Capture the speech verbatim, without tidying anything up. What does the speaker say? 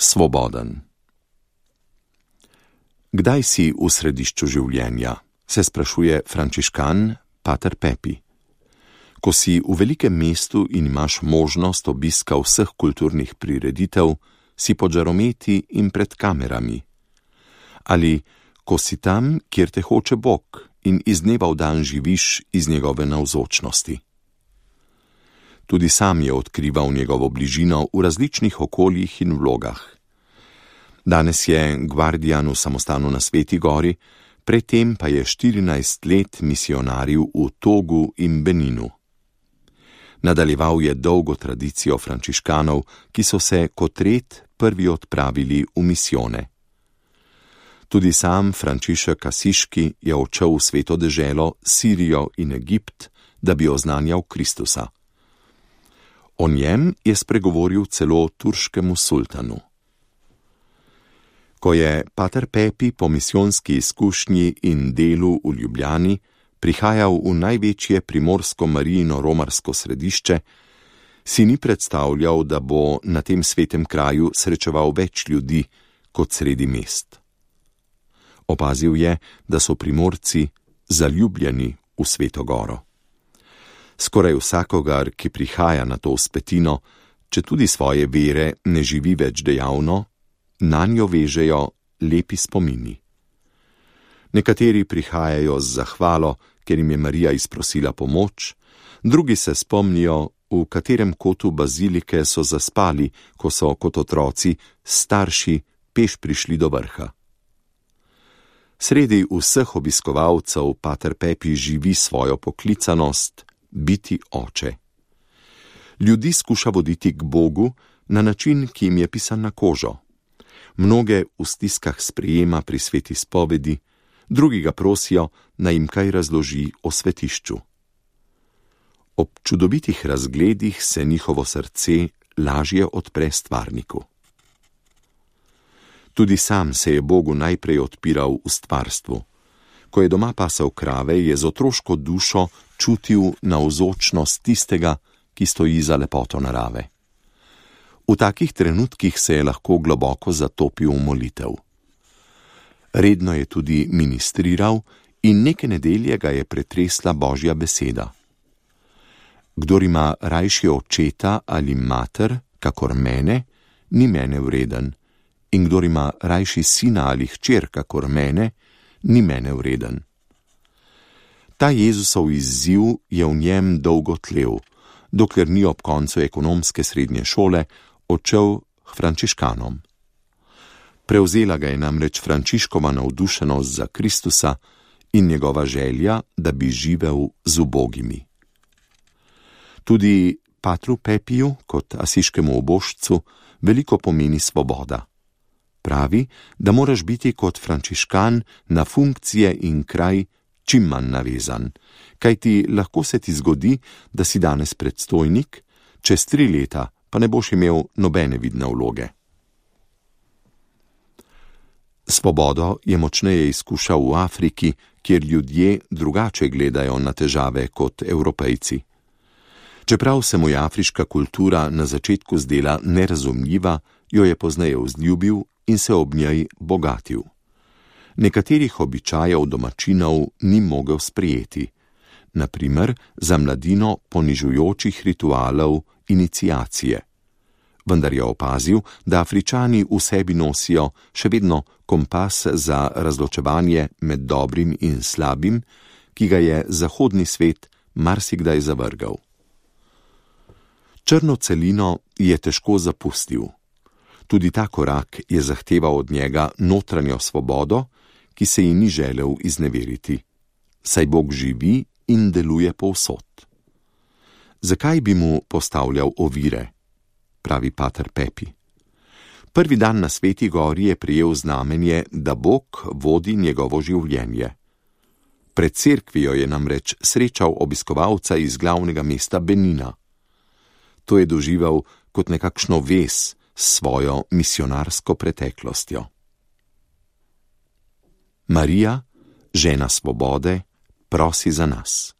Svoboden. Kdaj si v središču življenja, se sprašuje frančiškan pater Pepi. Ko si v velikem mestu in imaš možnost obiska vseh kulturnih prireditev, si pod žarometi in pred kamerami. Ali ko si tam, kjer te hoče Bog in iz dneva v dan živiš iz njegove navzočnosti. Tudi sam je odkrival njegovo bližino v različnih okoljih in vlogah. Danes je gvardijan v samostanu na Sveti gori, predtem pa je štirinajst let misionaril v Togu in Beninu. Nadaljeval je dolgo tradicijo frančiškanov, ki so se kot red prvi odpravili v misijone. Tudi sam Frančišek Asiški je odšel v sveto deželo, Sirijo in Egipt, da bi oznanjal Kristusa. O njem je spregovoril celo turškemu sultanu. Ko je pater Pepi po misijonski izkušnji in delu v Ljubljani prihajal v največje primorsko-marijino romarsko središče, si ni predstavljal, da bo na tem svetem kraju srečeval več ljudi kot sredi mest. Opazil je, da so Primorci zaljubljeni v Sveto goro. Skoraj vsakogar, ki prihaja na to vzpetino, če tudi svoje vere ne živi več dejavno, nanjo vežejo lepi spomini. Nekateri prihajajo z zahvalo, ker jim je Marija izprosila pomoč, drugi se spomnijo, v katerem kotu bazilike so zaspali, ko so kot otroci starši peš prišli do vrha. Sredi vseh obiskovalcev pater Pepi živi svojo poklicanost biti oče. Ljudi skuša voditi k Bogu na način, ki jim je pisan na kožo. Mnoge v stiskah sprejema pri sveti spovedi, drugi ga prosijo, naj jim kaj razloži o svetišču. Ob čudovitih razgledih se njihovo srce lažje odpre stvarniku. Tudi sam se je Bogu najprej odpiral v stvarstvu. Ko je doma pasal krave, je z otroško dušo čutil navzočnost tistega, ki stoji za lepoto narave. V takih trenutkih se je lahko globoko zatopil v molitev. Redno je tudi ministriral in neke nedelje ga je pretresla Božja beseda. Kdor ima rajši očeta ali mater, kakor mene, ni mene vreden, in kdor ima rajši sina ali hčer, kakor mene, ni mene vreden. Ta Jezusov izziv je v njem dolgo tlel, dokler ni ob koncu ekonomske srednje šole odšel k frančiškanom. Prevzela ga je namreč Frančiškova navdušenost za Kristusa in njegova želja, da bi živel z ubogimi. Tudi patru Pepiju, kot asiškemu obožcu, veliko pomeni svoboda. Pravi, da moraš biti kot frančiškan na funkcije in kraj čim manj navezan, kajti lahko se ti zgodi, da si danes predstojnik, čez tri leta pa ne boš imel nobene vidne vloge. Svobodo je močneje izkušal v Afriki, kjer ljudje drugače gledajo na težave kot Evropejci. Čeprav se mu je afriška kultura na začetku zdela nerazumljiva, jo je pozneje vzljubil in se ob njej bogatil. Nekaterih običajev domačinov ni mogel sprejeti, na primer za mladino ponižujočih ritualov iniciacije. Vendar je opazil, da Afričani v sebi nosijo še vedno kompas za razločevanje med dobrim in slabim, ki ga je zahodni svet marsikdaj zavrgal. Črno celino je težko zapustil. Tudi ta korak je zahteval od njega notranjo svobodo, ki se ji ni želel izneveriti, saj Bog živi in deluje povsod. Zakaj bi mu postavljal ovire, pravi pater Pepi. Prvi dan na Sveti gori je prejel znamenje, da Bog vodi njegovo življenje. Pred cerkvijo je namreč srečal obiskovalca iz glavnega mesta Benina. To je doživel kot nekakšno vez s svojo misionarsko preteklostjo. Marija, žena svobode, prosi za nas.